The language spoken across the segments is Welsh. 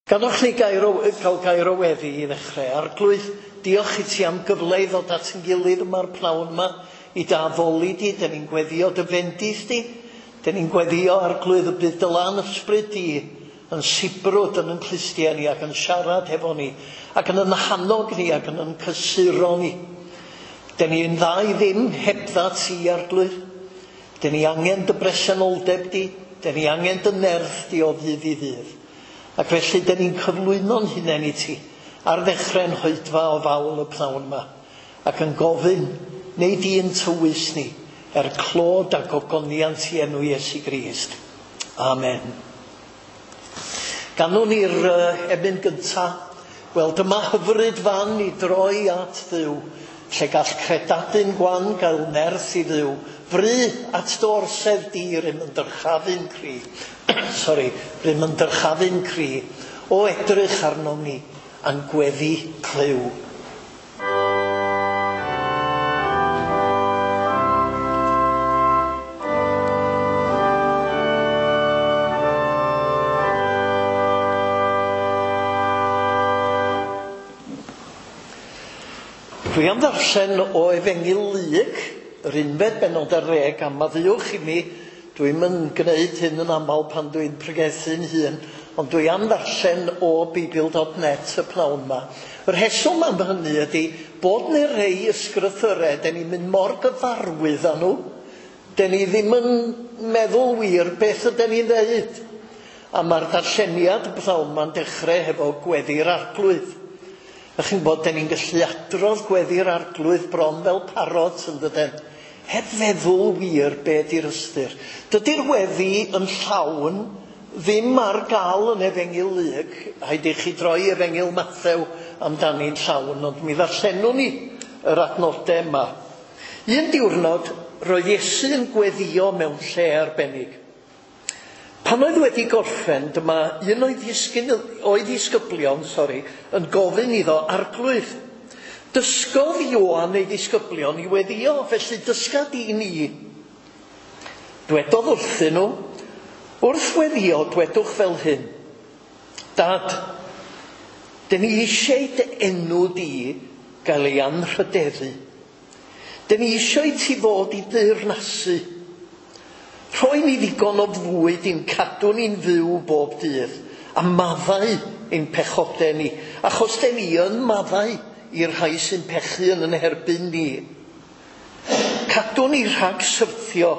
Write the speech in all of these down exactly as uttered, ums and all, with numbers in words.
Gadwch ni gair o, cael gair o weddi i ddechrau. Arglwydd, diolch i ti am gyfle i ddod at yn gilydd yma'r pnawn yma i dy addoli di. Dyn ni'n gweddio dy fendith di. Dyn ni'n gweddio, Arglwydd, y bydd dy lan ysbryd di yn sibrwd yn yn clustiau ni ac yn siarad hefo ni ac yn yn hannog ni ac yn yn cysuro ni. Dyn ni'n dda i ddim hebdda ti, Arglwydd. Dyn ni angen dy bresenoldeb di. Dyn ni angen dy nerth di o ddydd i ddydd. Ac felly, dyn ni'n cyflwyno'n hunain i ti ar ddechrau'n hoedfa o fawl y pnawn yma ac yn gofyn, neu di'n tywys ni er clod ac ogoniant i enw Iesu Grist. Amen. Ganwn ni'r uh, emyn gynta. Wel, dyma hyfryd fan i droi at Dduw, lle gall credadun gwan gael nerth i Dduw. Fry at dy orsedd di, rym yn dyrchafu'n cri. Sorry, rym yn dyrchafu'n cri. O edrych arnom ni, a'n gweddi clyw. Dwi am ddarllen o Efengyl Luc, yr unfed bennod ar ddeg, a maddeuwch i mi, dwi'm yn gwneud hyn yn aml pan dwi'n pregethu'n hun, ond dwi am ddarllen o Beibl dot net y pnawn yma. Y rheswm am hynny ydy bod ni rei ysgrythyrau, den ni'n mynd mor gyfarwydd â nhw, den ni ddim yn meddwl wir beth ydyn ni'n ddeud. A mae'r darlleniad y pnawn yma'n dechrau hefo gweddi'r Arglwydd. A chi'n gwybod, den ni'n gallu adrodd gweddi'r Arglwydd bron fel parot yn dydyn, heb feddwl wir be di'r ystyr. Dydy'r weddi yn llawn ddim ar gael yn Efengyl Luc. Rhaid i chi droi Efengyl Mathew amdani'n llawn, ond mi ddarllenwn ni yr adnodau yma. Un diwrnod, roedd Iesu yn gweddio mewn lle arbennig. Pan oedd wedi gorffen, dyma un o'i ddisgyn, o'i ddisgyblion, sori, yn gofyn iddo, Arglwydd, dysgodd Ioan ei ddisgyblion i weddio, felly dysga di ni. Dwedodd wrthyn nhw, wrth weddio, dwedwch fel hyn. Dad, dyn ni eisiau dy enw di gael ei anrhydeddu. Dyn ni eisiau ti ddod i deyrnasu. Rhoi ni ddigon o fwyd i'n cadw ni'n fyw bob dydd, a maddau ein pechodau ni, achos den ni yn maddau i'r rhai sy'n pechu yn yn herbyn ni. Cadw ni rhag syrthio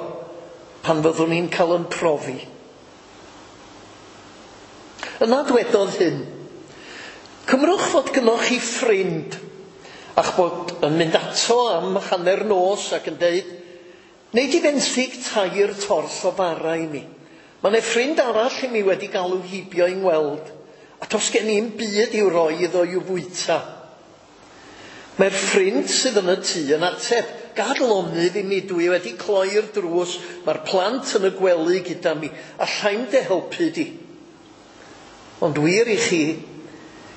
pan fyddwn ni'n cael yn profi. Yna dwedodd hyn, cymrwch fod gynnoch chi ffrind, a'ch bod yn mynd ato am hanner nos ac yn deud, Neu di fenthyg tair torth o fara i mi. Mae 'na ffrind arall i mi wedi galw heibio i'n weld, a does gen i'm byd i'w roi iddo i'w fwyta. Mae'r ffrind sydd yn y tŷ yn ateb, gad lonydd i mi, dwi wedi cloi'r drws, mae'r plant yn y gwely gyda mi, allai'm dy helpu di. Ond wir i chi,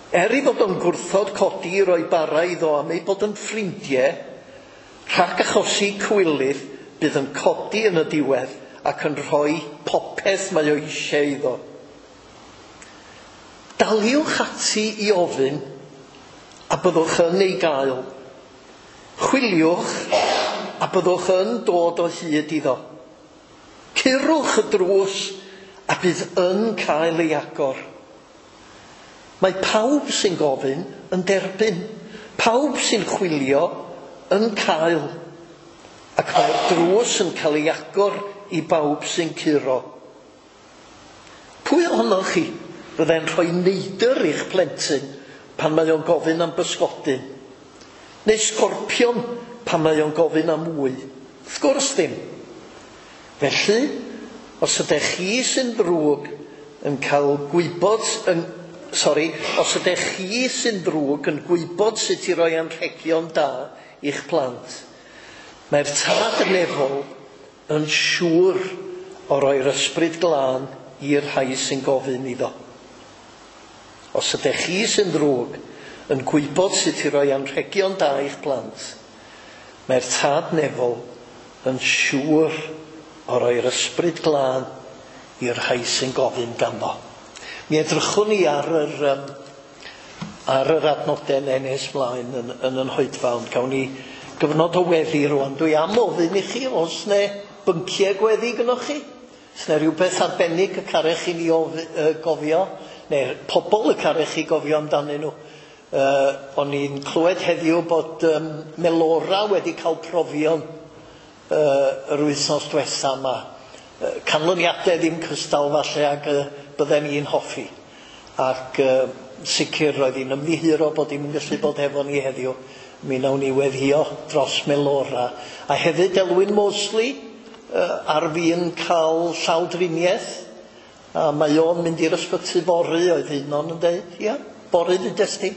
er ei fod o'n gwrthod codi i roi bara iddo am ei bod yn ffrindiau, rhag achosi cywilydd, bydd yn codi yn y diwedd ac yn rhoi popeth mae o eisiau iddo. Daliwch ati i ofyn a byddwch yn ei gael. Chwiliwch a byddwch yn dod o hyd iddo. Curwch y drws a bydd yn cael ei agor. Mae pawb sy'n gofyn yn derbyn. Pawb sy'n chwilio yn cael. Ac mae'r drws yn cael ei agor i bawb sy'n curo. Pwy ohonoch chi fyddai'n rhoi neidr i'ch plentyn pan mae o'n gofyn am bysgodyn? Neu sgorpion pan mae o'n gofyn am wy? Wrth gwrs ddim. Felly, os ydych chi sy'n ddrwg yn cael gwybod... Yn, sorry, os ydych chi sy'n ddrwg yn gwybod sut i roi anrhegion da i'ch plant, mae'r Tad nefol yn siŵr o roi'r ysbryd glân i'r rhai sy'n gofyn iddo. Os ydych chi sy'n ddrwg yn gwybod sut i roi anrhegion da i'ch plant, mae'r Tad nefol yn siŵr o roi'r ysbryd glân i'r rhai sy'n gofyn ganddo. Mi edrychwn ni ar yr, um, ar yr adnodau yna nes mlaen yn, yn yn hoedfa, ond gawn ni gyfnod o weddi rwan. Dwi am ofyn i chi, os ne bynciau gweddi gynnoch chi? Os ne rhywbeth arbennig y carech i ni of, uh, gofio, neu pobl y carech chi gofio amdanyn nhw. Uh, o'n i'n clywed heddiw bod um, Melora wedi cael profion uh, yr wythnos diwetha yma. Uh, canlyniadau ddim cystal falle ag uh, bydden ni'n hoffi. Ac uh, sicr roedd hi'n ymddiheuro bod hi'n gallu bod efo ni heddiw. Mi nawn ni weddïo dros Melora. A hefyd Elwyn Mosley uh, ar fin cael llawdriniaeth. A mae o'n mynd i'r ysbyty fory, oedd un o'n yn deud. Ia, fory ddudes di?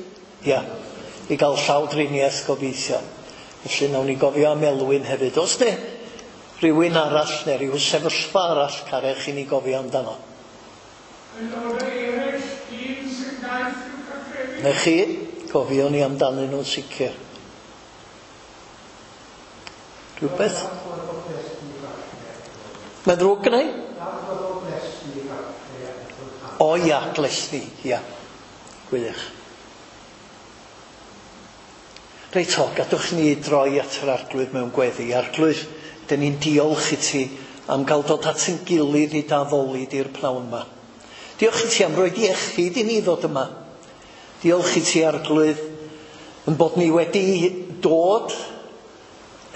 Ia, i gael llawdriniaeth gobeithio. Felly nawn ni gofio am Elwyn hefyd. Os ne rhywun arall neu rhyw sefyllfa arall carech i ni gofio amdano. Na chi, gofio ni amdanyn nhw'n sicr. Rhywbeth? Mae'n ddrwg gynna i? O ia, Glesni, ia. Gwych. Reit o, gadwch ni droi at yr Arglwydd mewn gweddi. Arglwydd, dyn ni'n diolch i ti am gael dod at ein gilydd i d'addoli di'r pnawn yma. Diolch i ti am roi iechyd i ni ddod yma. Diolch i ti, Arglwydd, yn bod ni wedi dod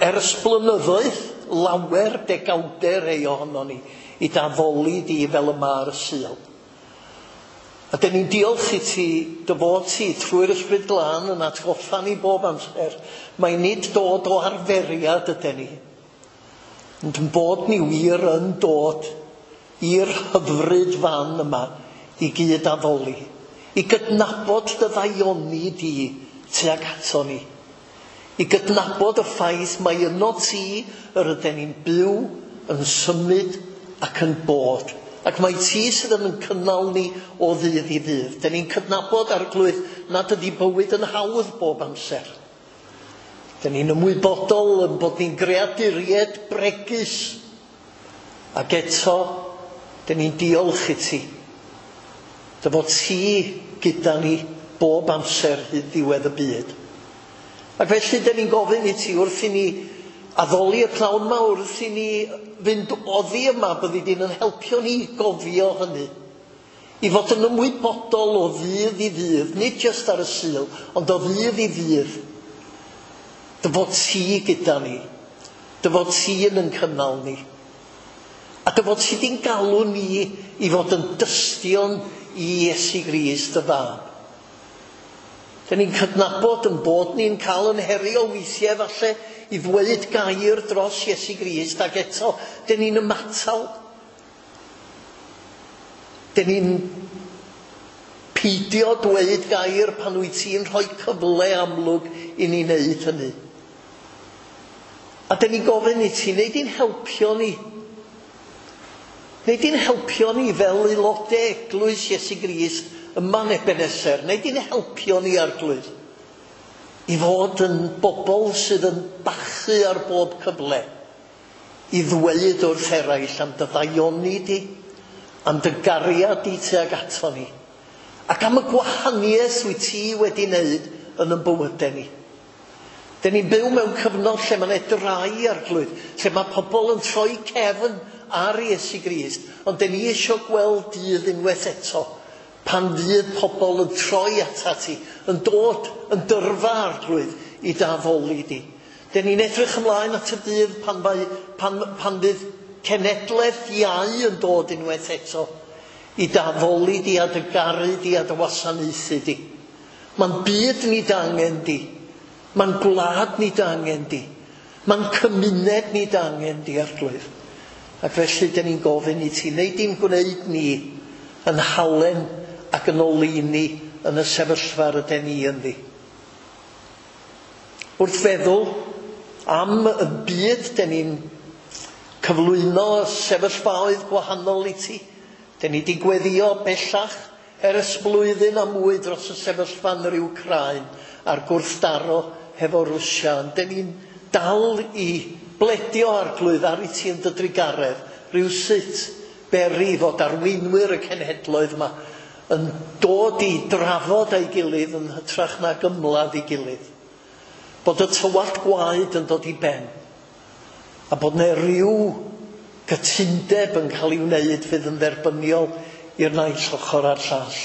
ers blynyddoedd lawer degawdau rhai ohono ni i d'addoli di fel yma ar y Sul. A dyn ni'n diolch i ti dy fod ti trwy'r Ysbryd Glân yn atgoffa ni bob amser. Mae nid dod o arferiad ydyn ni, ond yn bod ni wir yn dod i'r hyfryd fan yma i gyd addoli, i gydnabod dy ddaioni di tuag ato ni, i gydnabod y ffaith mai yno ti yr ydyn ni'n byw, yn symud ac yn bod. Ac mae ti sydd yn cynnal ni o ddydd i ddydd. Dyn ni'n cydnabod, Arglwydd, nad ydy bywyd yn hawdd bob amser. Dyn ni'n ymwybodol yn bod ni'n greaduriaid bregus. Ac eto, dyn ni'n diolch i ti. Dy fod ti gyda ni bob amser hyd ddiwedd y byd. Ac felly, dyn ni'n gofyn i ti wrth i ni addoli y pnawn yma, wrth i ni fynd oddi yma, byddi di'n yn helpio ni i gofio hynny. I fod yn ymwybodol o ddydd i ddydd, nid jyst ar y Sul, ond o ddydd i ddydd. Dy fod ti gyda ni, dy fod ti yn yn cynnal ni. A dy fod ti di'n galw ni i fod yn dystion i Iesu Grist dy fab. Dyn ni'n cydnabod yn bod ni'n cael yn herio weithiau falle i ddweud gair dros Iesu Grist, ac eto, dyn ni'n ymatal. Dyn ni'n peidio dweud gair pan wyt ti'n rhoi cyfle amlwg i ni wneud hynny. A dyn ni'n gofyn i ti, wneud i'n helpio ni. Wneud i'n helpio ni fel aelodau eglwys Iesu Grist yma yn Ebeneser. Wneud i'n helpio ni, Arglwydd, i fod yn bobl sydd yn bachu ar bob cyfle, i ddweud wrth eraill am dy ddaioni di, am dy gariad di tuag ato ni, ac am y gwahaniaeth wyt ti wedi wneud yn ein bywydau ni. Dyn ni'n byw mewn cyfnod lle mae'n edrai, Arglwydd, lle mae pobl yn troi cefn ar Iesu Grist, ond dyn ni eisiau gweld dydd unwaith eto, pan fydd pobl yn troi atat ti, yn dod yn dyrfa, Arglwydd, i d'addoli di. Dyn ni'n edrych ymlaen at y dydd pan, mae, pan, pan fydd cenedlaeth iau yn dod unwaith eto i d'addoli di a dy garu di a dy wasanaethu di. Mae'n byd ni d'angen di. Mae'n gwlad ni d'angen di. Mae'n cymuned ni d'angen di, Arglwydd. Ac felly dyn ni'n gofyn i ti, wneud di'n gwneud ni yn halen ac yn oleuni yn y sefyllfa rydyn ni ynddi. Wrth feddwl am y byd, dyn ni'n cyflwyno sefyllfaoedd gwahanol i ti. Dyn ni wedi gweddio bellach ers blwyddyn a mwy dros y sefyllfa yn yr Wcráin a'r gwrthdaro hefo Rwsia. Dyn ni'n dal i bledio, Arglwydd, ar i ti yn dy drugaredd, rhywsut beri fod arweinwyr y cenhedloedd yma yn dod i drafod â'i gilydd yn hytrach nag ymladd ei gilydd. Bod y tywallt gwaed yn dod i ben. A bod 'na ryw gytundeb yn cael ei wneud fydd yn dderbyniol i'r naill ochr a'r llall.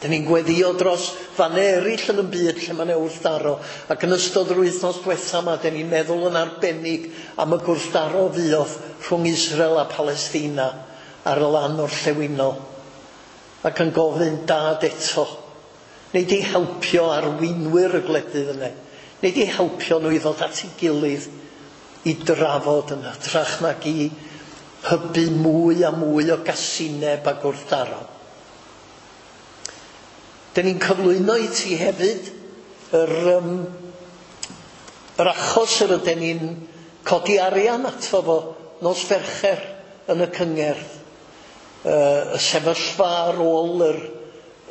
Dyn ni'n gweddio dros fannau eraill yn y byd lle mae 'na wrthdaro. Ac yn ystod yr wythnos diwetha yma, dyn ni'n meddwl yn arbennig am y gwrthdaro fuodd rhwng Israel a Palestina ar y lan orllewinol. Ac yn gofyn Dad eto, nei di helpio arweinwyr y gwledydd yna. Nei di helpio nhw i ddod at ei gilydd i drafod yn hytrach nag i hybu mwy a mwy o gasineb a gwrthdaro. Dyn ni'n cyflwyno i ti hefyd yr, um, yr achos yr ydyn ni'n codi arian ato fo nos Fercher yn y cyngerdd. Uh, y sefyllfa ar ôl yr,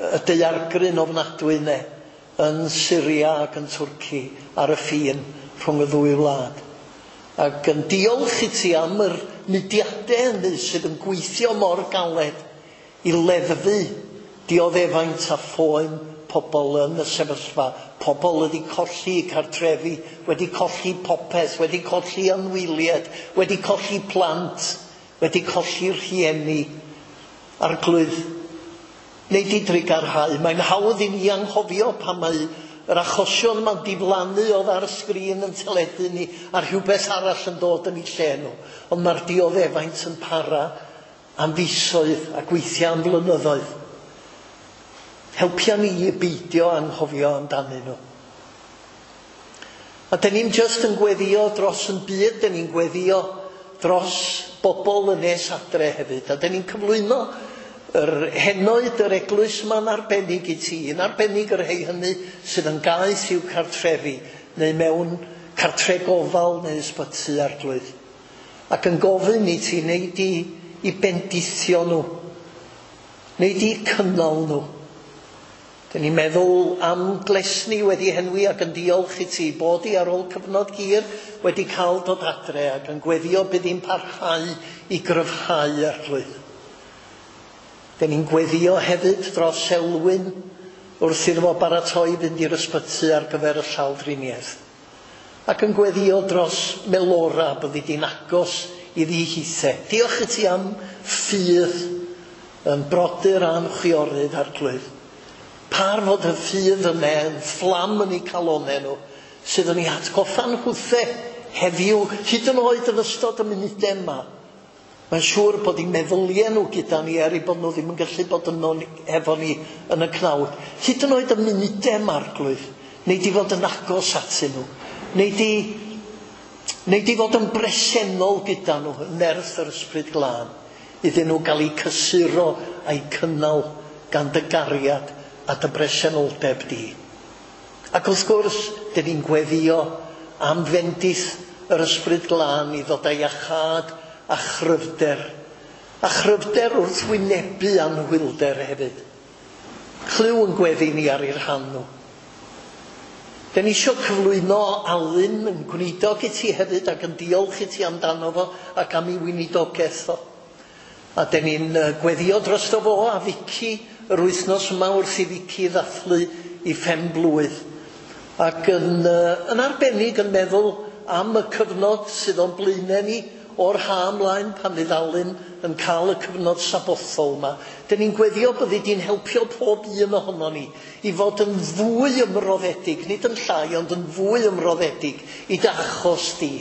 y daeargryn ofnadwy yna yn Syria ac yn Twrci ar y ffin rhwng y ddwy wlad. Ac yn diolch i ti am yr mudiadau hynny sydd yn gweithio mor galed i leddfu dioddefaint a phoen pobl yn y sefyllfa. Pobl wedi colli cartrefi, wedi colli popeth, wedi colli anwyliaid, wedi colli plant, wedi colli rhieni. Arglwydd, nei di drugarhau. Mae'n hawdd i ni anghofio pan mae yr achosion yma'n diflannu oddi ar y sgrin yn teledu ni a rhywbeth arall yn dod yn ei lle nhw. Ond mae'r dioddefaint yn para am fisoedd ac weithiau am flynyddoedd. Helpia ni i beidio anghofio amdanyn nhw. A dyn ni'n just yn gweddio dros yn byd, dyn ni'n gweddio dros bobl yn nes adre hefyd. A dyn ni'n cyflwyno yr henoed yr eglwys yma'n arbennig i ti, yn arbennig yr rhai hynny sydd yn gaeth i'w cartrefi, neu mewn cartre gofal neu ysbyty, Arglwydd. Ac yn gofyn i ti, nei di i bendithio nhw, nei di cynnal nhw. Dyn ni'n meddwl am Glesni wedi henwi ac yn diolch i ti bod i ar ôl cyfnod hir wedi cael dod adre ac yn gweddio bydd hi'n parhau i gryfhau, Arglwydd. Dyn ni'n gweddio hefyd dros Elwyn wrth iddo fo baratoi fynd i'r ysbyty ar gyfer y llawdriniaeth. Ac yn gweddio dros Melora byddi di'n agos iddi hithe. Diolch i ti am ffydd yn brodyr a'n chwiorydd, Arglwydd. Par fod y ffydd yna yn fflam yn eu calonau nhw, sydd yn eu hatgoffa'n hwthe heddiw, hyd yn oed yn ystod y munudau yma. Mae'n siŵr bod eu meddyliau nhw gyda ni, er eu bod nhw ddim yn gallu bod yno efo ni yn y cnawd. Hyd yn oed y munudau yma, Arglwydd, nei di fod yn agos atyn nhw. Nei di, nei di fod yn bresennol gyda nhw, yn nerth yr Ysbryd Glân, iddyn nhw gael eu cysuro a'u cynnal gan dy gariad a dy bresenoldeb di. Ac wrth gwrs, dyn ni'n gweddio am fendith yr Ysbryd Glân i ddod â iachâd a chryfder. A chryfder wrth wynebu anhwylder hefyd. Clyw yn gweddi ni ar eu rhan nhw. Dyn ni eisiau cyflwyno Alun yn gweinidog i ti hefyd ac yn diolch i ti amdano fo ac am ei weinidogaeth o. A dyn ni'n gweddio drosto fo a Vicky yr wythnos yma wrth i Vicky ddathlu ei phen-blwydd. Ac yn, yn arbennig yn meddwl am y cyfnod sydd o'n blaenau ni o'r ha ymlaen pan fydd Alun yn cael y cyfnod sabothol yma. Dyn ni'n gweddio byddi di'n helpio pob un ohono ni i fod yn fwy ymroddedig, nid yn llai, ond yn fwy ymroddedig i dy achos di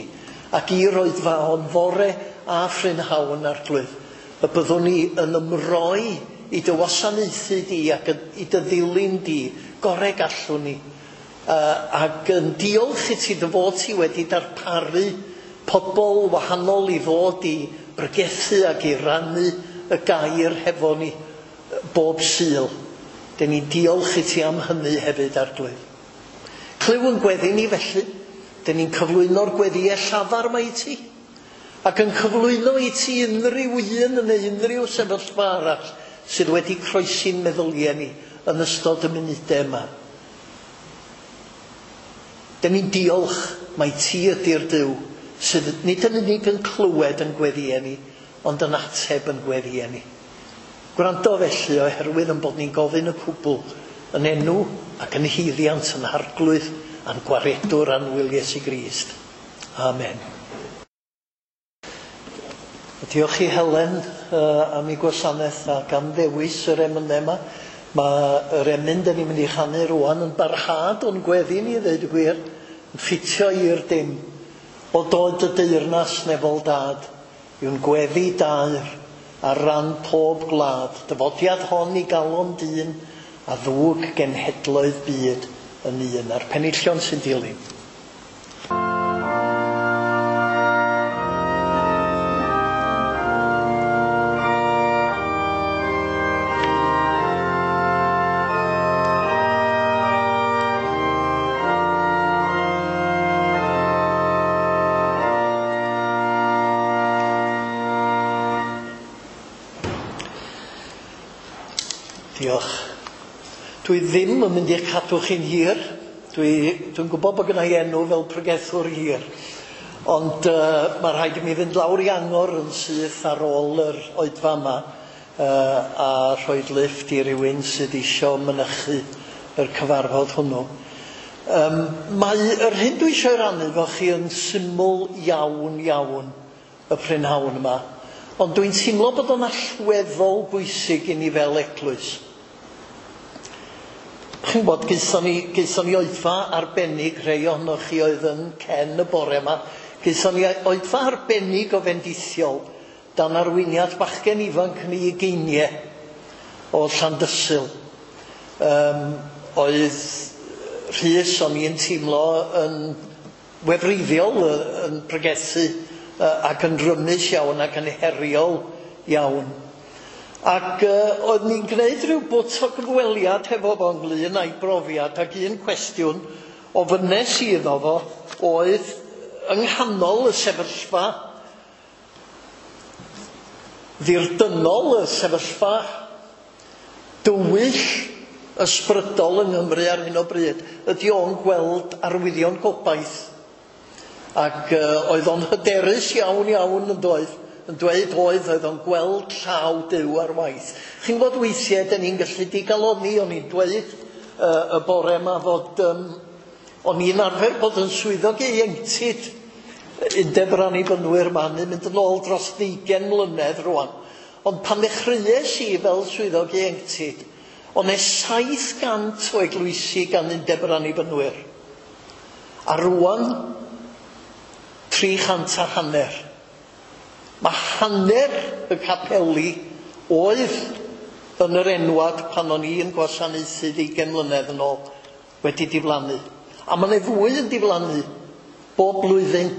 ac i'r oedfa o'n fore a phrynhawn, Arglwydd. Y byddwn ni yn ymroi i dy wasanaethu di ac i dy ddilyn di, gorau gallwn ni. Uh, ac yn diolch i ti dy fod ti wedi darparu pobl wahanol i ddod i bregethu ac i rannu y gair hefo ni bob Sul. Dyn ni'n diolch i ti am hynny hefyd, Arglwydd. Clyw yn gweddi ni felly. Dyn ni'n cyflwyno'r gweddïau llafar yma i ti. Ac yn cyflwyno i ti unrhyw un neu unrhyw sefyllfa arall sydd wedi croesi'n meddyliau ni yn ystod y munudau yma. Dyn ni'n diolch mai ti ydy'r Duw sydd nid yn unig yn clywed yn gweddïau ni, ond yn ateb yn gweddïau ni. Gwrando felly oherwydd yn bod ni'n gofyn y cwbl yn enw ac yn haeddiant yn Arglwydd a'n gwaredwr annwyl Iesu Grist. Amen. Diolch i Helen uh, am ei gwasanaeth ac am ddewis yr emynau yma. Mae yr emyn da ni'n mynd i chanu rwan yn barhad o'n gweddi ni, ddeud y gwir, yn ffitio i'r dim. O doed y deyrnas nefol dad, yw'n gweddi daer ar ran pob gwlad. Dyfodiad hon i galon dyn a ddwg genhedloedd byd yn un. A'r penillion sy'n dilyn. Diolch. Dwi ddim yn mynd i'ch cadw chi'n hir. Dwi, dwi'n gwybod bod gynna i enw fel pregethwr hir. Ond uh, mae rhaid i mi fynd lawr i Angor yn syth ar ôl yr oedfa yma uh, a rhoi lifft i rywun sydd isio mynychu yr cyfarfod hwnnw. Um, mae yr hyn dwi eisiau rannu efo chi yn syml iawn iawn y prynhawn yma. Ond dwi'n teimlo bod o'n allweddol bwysig i ni fel eglwys. Chi'n gwybod, gaethon ni, gaethon ni oedfa arbennig, rhai ohonoch chi oedd yn cen y bore yma, gaethon ni oedfa arbennig o fendithiol dan arweiniad bachgen ifanc yn ei ugeiniau o Llandysul. Um, oedd Rhys, o'n i'n teimlo yn wefreiddiol, yn pregethu ac yn rymus iawn ac yn heriol iawn. Ac uh, oedd ni'n gwneud rhyw bwt o gyfweliad hefo fo ynglyn â'i brofiad, ac un cwestiwn ofynnes i iddo fo oedd yng nghanol y sefyllfa ddirdynol, y sefyllfa dywyll ysbrydol yng Nghymru ar hyn o bryd, ydy o'n gweld arwyddion gobaith. Ac uh, oedd o'n hyderus iawn iawn yn doedd, yn dweud oedd, oedd o'n gweld llaw Duw ar waith. Chi'n gwybod weithiau, dyn ni'n gallu digalonni, o'n i'n dweud uh, y bore yma fod, um, o'n i'n arfer bod yn swyddog ieuenctid Undeb yr Annibynwyr yma, ni'n mynd yn ôl dros ddeugain mlynedd rwan. Ond pan ddechreuais i fel swyddog ieuenctid, o'n e saith gant o eglwysi gan Undeb yr Annibynwyr. A rwan, tri chant a hanner. Mae hanner y capeli oedd yn yr enwad pan o'n i'n gwasanaethu ddeugain mlynedd yn ôl wedi diflannu. A mae 'na fwy yn diflannu bob blwyddyn.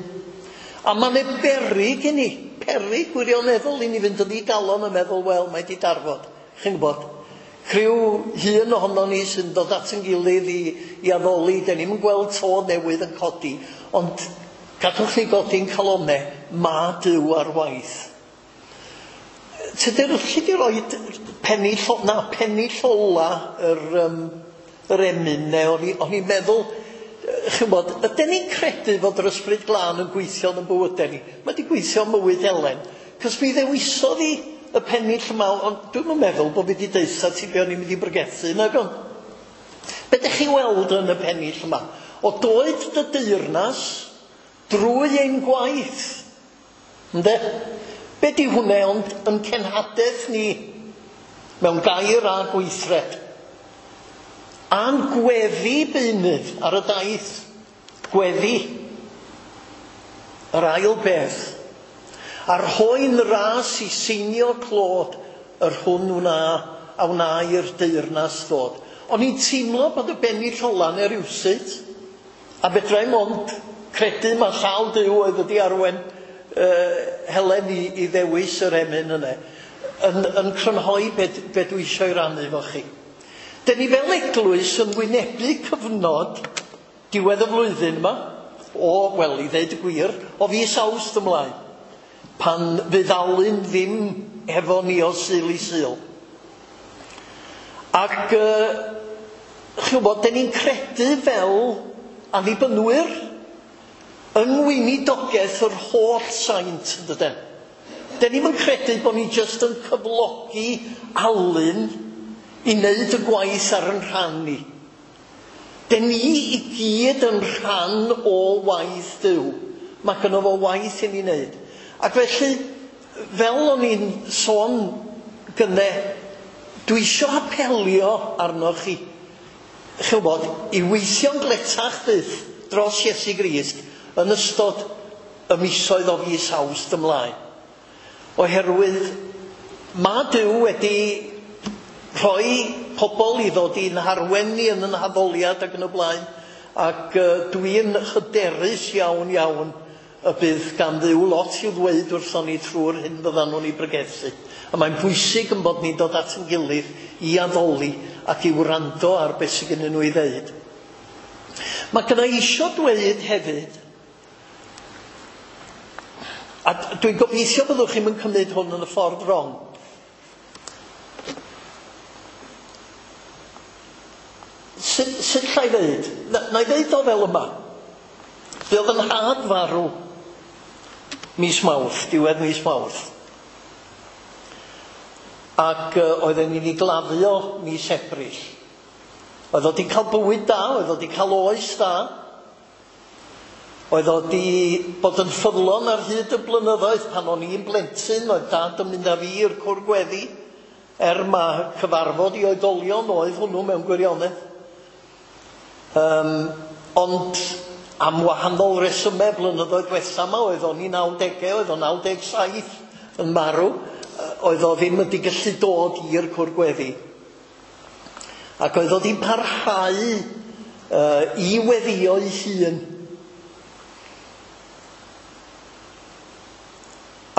A mae 'na beryg i ni, peryg gwirioneddol i ni fynd yn ddigalon a meddwl, wel, mae 'di darfod. Chi'n gwybod, rhyw hun ohonon ni sy'n dod at yn gilydd i, i addoli, dan ni'm yn gweld to newydd yn codi, ond gadwch ni godi'n calonnau, ma Duw ar waith. Tydi'r, alli di roi pennill, na, pennill ola yr, um, yr emyn, neu o'n i, o'n i'n meddwl, chi'n gwybod, ydyn ni'n credu fod yr Ysbryd Glân yn gweithio yn bywydau ni? Mae 'di gweithio ym mywyd Elen, cos mi ddewisodd hi y pennill yma, ond dwi'm yn meddwl bod fi 'di deutha ti be o'n i'n mynd i bregethu, nag o'n? Be dych chi'n weld yn y pennill yma? O doed dy deyrnas drwy ein gwaith. Ynde? Be di hwnna ond yn cenhadaeth ni mewn gair a gweithred? A'n gweddi beunydd ar y daith. Gweddi. Yr ail beth. A rhoi'n ras i seinio clod yr hwn wna a wna i'r deyrnas ddod. O'n i'n teimlo bod y bennill ola neu rywsut, a fedra i'm ond credu mae llaw Duw oedd wedi arwain uh, Helen i, i ddewis yr emyn yna, yn, yn crynhoi be, be dwi eisiau rannu efo chi. Dyn ni fel eglwys yn wynebu cyfnod diwedd y flwyddyn yma, o, wel, i ddeud y gwir, o fis Awst ymlaen, pan fydd Alun ddim hefo ni o Sul i Sul. Ac, uh, chi'n gwybod, dyn ni'n credu fel annibynwyr yng ngweinidogaeth yr holl saint, yn dydyn? Den ni'm yn credu bod ni jyst yn cyflogi Alun i wneud y gwaith ar yn rhan ni. Den ni i gyd yn rhan o waith Duw. Mae gynno fo waith i ni wneud. Ac felly, fel o'n i'n sôn gynne, dwi isio apelio arnoch chi, chi'n gwybod, i weithio'n gletach fyth dros Iesu Grist yn ystod y misoedd o fis Awst ymlaen. Oherwydd mae Duw wedi rhoi pobl i ddod i'n harwen ni yn yn haddoliad ac yn y blaen, ac uh, dwi'n hyderus iawn iawn y bydd gan Dduw lot i'w ddweud wrthon ni trwy'r hyn fyddan nhw'n ei bregethu. A mae'n bwysig yn bod ni'n dod at ein gilydd i addoli ac i wrando ar beth sydd gennyn nhw i ddeud. Mae gynna i isio dweud hefyd, a dwi'n gobeithio byddwch chi'm yn cymryd hwn yn y ffordd wrong. Sut, sut llai ddeud? Na, na i ddeud o fel yma. Fe oedd yn nhad farw mis Mawrth, diwedd mis Mawrth. Ac uh, oedden ni'n ei gladdio mis Ebrill. Oedd o 'di cael bywyd da, oedd o 'di cael oes da. Oedd o 'di bod yn ffyddlon ar hyd y blynyddoedd. Pan o'n i'n blentyn, oedd dad yn mynd â fi i'r cwr gweddi, er ma cyfarfod i oedolion oedd hwnnw mewn gwirionedd. Um, ond am wahanol resymau blynyddoedd diwetha yma, oedd o'n i nawdegau, oedd o'n naw deg saith yn marw, oedd o ddim wedi gallu dod i'r cwr gweddi. Ac oedd o wedi parhau uh, i weddio ei hun.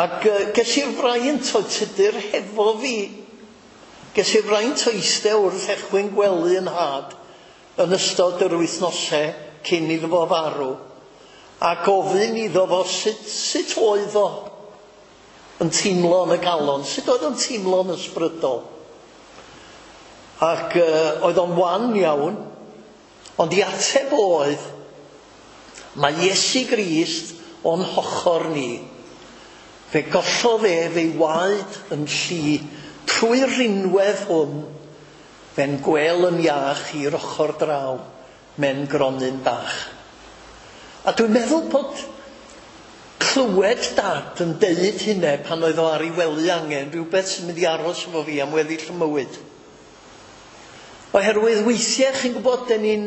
Ac uh, ges i'r fraint o Tudur hefo fi, ges i'r fraint o eistedd wrth echwyn gwely yn nhad yn ystod yr wythnosau cyn iddo fo farw, a gofyn iddo fo sut, sut oedd o yn teimlo yn y galon, sut oedd o'n teimlo yn ysbrydol. Ac uh, oedd o'n wan iawn, ond i ateb oedd, mae Iesu Grist o'n hochor ni. Fe gollodd ef ei waed yn lli trwy'r rinwedd hwn, fe'n gwel yn iach i'r ochr draw, mewn gronyn bach. A dwi'n meddwl bod clywed dad yn deud hynna pan oedd o ar ei wely angen, rhywbeth sy'n mynd i aros efo fi am weddill y mywyd. Oherwydd weithiau, chi'n gwybod, den ni'n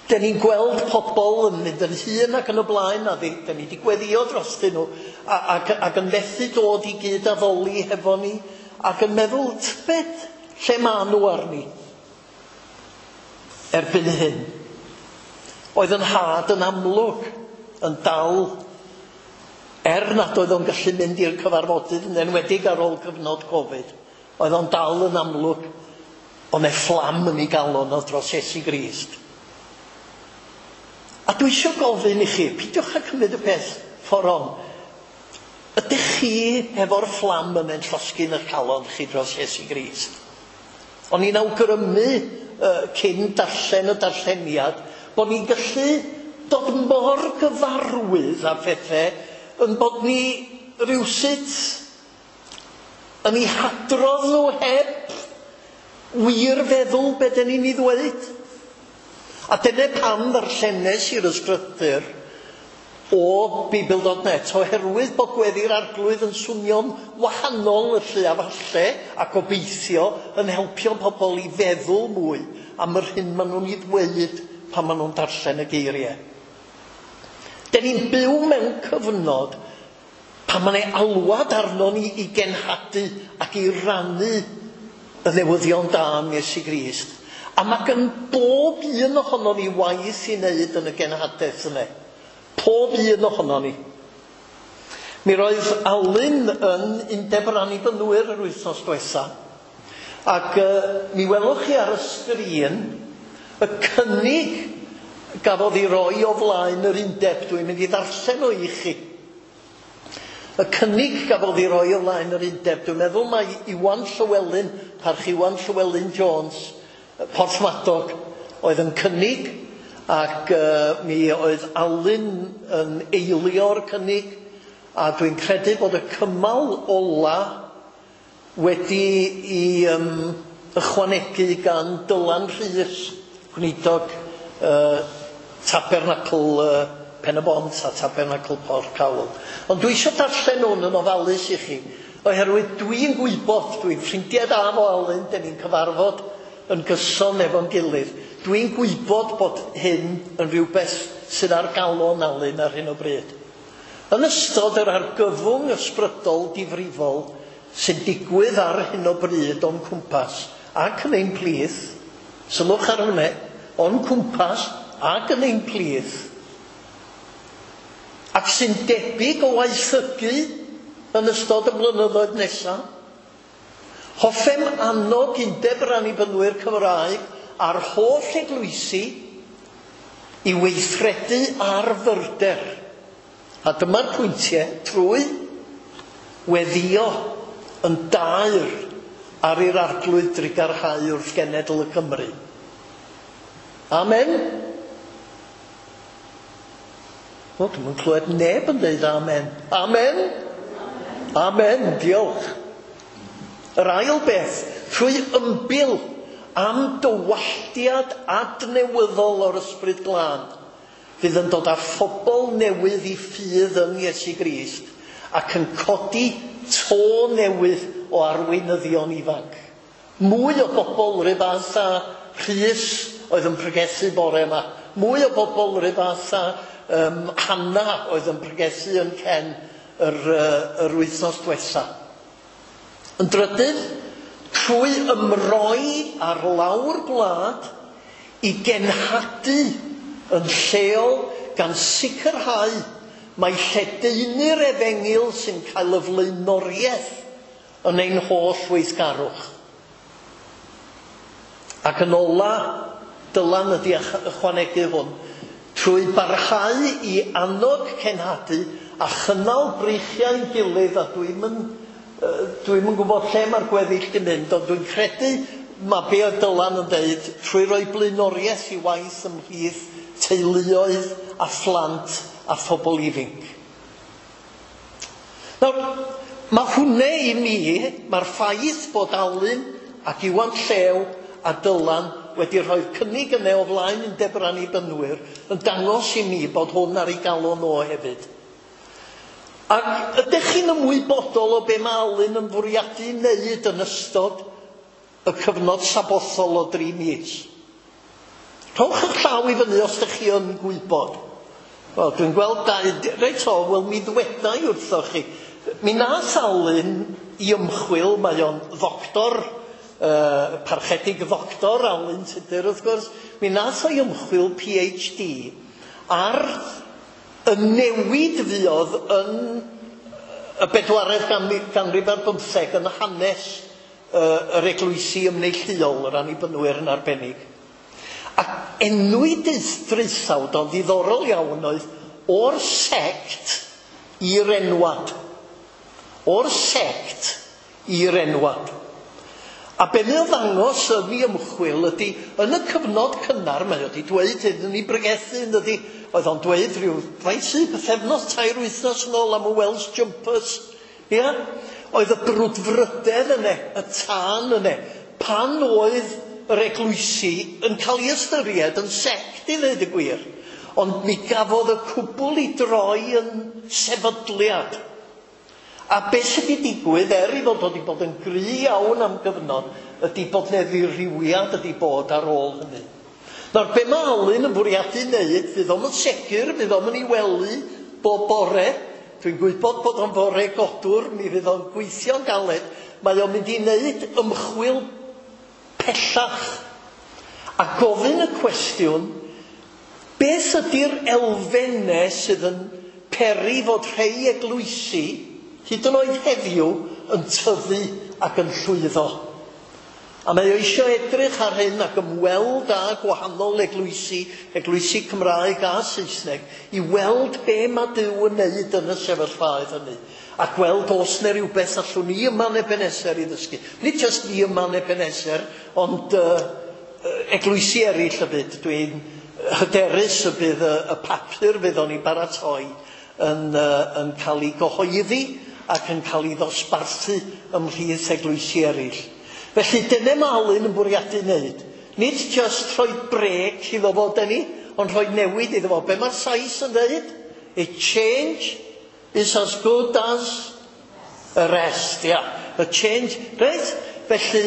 den ni'n gweld pobl yn mynd yn hŷn ac yn y blaen, a den ni wedi gweddio drostyn nhw, ac, ac yn methu dod i gyd addoli hefo ni, ac yn meddwl, tybed, lle maen nhw arni erbyn hyn? Oedd yn nhad yn amlwg yn dal, er nad oedd o'n gallu mynd i'r cyfarfodydd, yn enwedig ar ôl cyfnod Covid, oedd o'n dal yn amlwg, ond e fflam yn ei galon o dros Iesu Grist. A dwi eisiau gofyn i chi, peidiwch â cymryd y peth ffordd on. Ydych chi efo'r fflam yn ein llosgi yn eich calon chi dros Iesu Grist? O'n i'n awgrymu uh, cyn darllen y darlleniad bod ni'n gallu dod mor gyfarwydd â phethau yn bod ni rywsut yn eu hadrodd nhw heb wir feddwl be dyn ni'n ei ddweud. A dyna pam ddarllenes i'r ysgrythur o Beibl dot net, oherwydd bod gweddi'r Arglwydd yn swnio'n wahanol y lle a falle, a gobeithio yn helpio pobl i feddwl mwy am yr hyn maen nhw'n ei ddweud pan maen nhw'n darllen y geiriau. Den ni'n byw mewn cyfnod pan mae'n ei alwad arno ni i genhadu ac i rannu y newyddion da am Iesu Grist. A mae gan bob un ohono ni waith i wneud yn y genhadaeth yna. Pob un ohono ni. Mi roedd Alun yn Undeb yr Annibynwyr yr wythnos diwetha. Ac uh, mi welwch chi ar y sgrin y cynnig gafodd ei roi o flaen yr undeb. Dwi'n mynd i ddarllen o i chi. Y cynnig gafodd ei roi o flaen yr undeb. Dwi'n meddwl mai Iwan Llywelyn, parch Iwan Llywelyn Jones, Porthmadog, oedd yn cynnig, ac uh, mi oedd Alun yn eilio'r cynnig, a dwi'n credu bod y cymal ola wedi i um, ychwanegu gan Dylan Rhys, gweinidog uh, Tabernacl uh, Pen-y-bont a Tabernacl Porthcawl. Ond dwi eisiau darllen hwn yn ofalus i chi, oherwydd dwi'n gwybod, dwi'n ffrindiau da efo Alun, dan ni'n cyfarfod yn gyson efo'n gilydd. Dwi'n gwybod bod hyn yn rhywbeth sydd ar galon Alun ar hyn o bryd. Yn ystod yr argyfwng ysbrydol difrifol sy'n digwydd ar hyn o bryd o'n cwmpas ac yn ein plith, sylwch ar hwnna, o'n cwmpas ac yn ein plith, ac sy'n debyg o waethygu yn ystod y blynyddoedd nesaf, hoffem annog Undeb yr Annibynwyr Cymraeg a'r holl eglwysi i weithredu ar fyrder. A dyma'r pwyntiau trwy weddio yn daer ar i'r Arglwydd drugarhau wrth genedl y Cymru. Amen. O, dwi'm yn clywed neb yn dweud amen. Amen. Amen, diolch. Yr ail beth, trwy ymbil am dywalltiad adnewyddol o'r Ysbryd Glân, fydd yn dod â phobl newydd i ffydd yn Iesu Grist ac yn codi to newydd o arweinyddion ifanc. Mwy o bobl rhyw fath â Rhys oedd yn pregethu bore yma. Mwy o bobl rhyw fath â um, Hanna oedd yn pregethu yn Cen yr, uh, yr wythnos diwetha. Yn drydydd, trwy ymroi ar lawr gwlad i genhadu yn lleol gan sicrhau mai lledaenu'r efengyl sy'n cael y flaenoriaeth yn ein holl weithgarwch. Ac yn ola, Dylan ydi ychwanegu hwn, trwy barhau i annog cenhadu a chynnal breichiau'n gilydd, a dwi'm yn, dwi'm yn gwybod lle mae'r gweddill di mynd, ond dwi'n credu mae be oedd Dylan yn deud, trwy roi blaenoriaeth i waith ymhlith teuluoedd a phlant a phobl ifanc. Nawr, mae hwnna i mi, mae'r ffaith bod Alun ac Iwan Llew a Dylan wedi rhoi'r cynnig yna o flaen Undeb yr Annibynwyr yn dangos i mi bod hwn ar ei galon o hefyd. Ac ydych chi'n ymwybodol o be mae Alun yn fwriadu wneud yn ystod y cyfnod sabothol o dri mis? Rhowch eich llaw i fyny os ydych chi yn gwybod. Wel, dwi'n gweld dau... Reit o, wel, mi ddweda i wrthoch chi. Mi nath Alun i ymchwil, mae o'n ddoctor, uh, parchedig ddoctor Alun Tudur, wrth gwrs. Mi nath o'i ymchwil P H D ar y newid fuodd yn y bedwaredd ganrif ar bymtheg yn hanes uh, yr eglwysi ymneilltuol, yr Annibynwyr yn arbennig. Ac enwi draethawd o'n ddiddorol iawn oedd o'r sect i'r enwad. O'r sect i'r enwad. A be mae o ddangos yn ei ymchwil ydy, yn y cyfnod cynnar, mae o wedi dweud hyn yn ei bregethu, yn ydy, oedd o'n dweud rhyw faint sydd, pythefnos, tair wythnos yn ôl am y Welsh Jumpers. Ia? Oedd y brwdfrydedd yna, y tân yna, pan oedd yr eglwysi yn cael ei ystyried yn sect i ddweud y gwir. Ond mi gafodd y cwbl i droi yn sefydliad. A beth sydd wedi digwydd, er i fod wedi bod yn gry iawn am gyfnod, ydy bod 'na ddirywiad ydy bod ar ôl hynny. Nawr, be mae Alun yn bwriadu wneud, fydd o'm yn segur, fydd o'm yn ei wely bob bore. Dwi'n gwybod bod o'n fore godwr, mi fydd o'n gweithio'n galed. Mae o'n mynd i wneud ymchwil pellach a gofyn y cwestiwn, beth ydy'r elfennau sydd yn peri fod rhai eglwysi, hyd yn oed heddiw, yn tyfu ac yn llwyddo? A mae o eisiau edrych ar hyn ac ymweld â gwahanol eglwysi, eglwysi Cymraeg a Saesneg, i weld be mae Duw yn neud yn y sefyllfaoedd hynny. A gweld os na rhywbeth allwn ni yma yn Ebenezer i ddysgu. Nid jyst ni yma yn Ebenezer, ond uh, eglwysi eraill y byd. Dwi'n hyderus y bydd y, y papur fydd o'n i baratoi yn, uh, yn cael ei gyhoeddi ac yn cael ei ddosbarthu ymhlith eglwysi eraill. Felly dyna mae Alun yn bwriadu wneud. Nid just rhoi brêc iddo fo, dyn ni, ond rhoi newid iddo fo. Be mae'r Sais yn dweud? A change is as good as a rest. Yeah. A change, reit? Felly,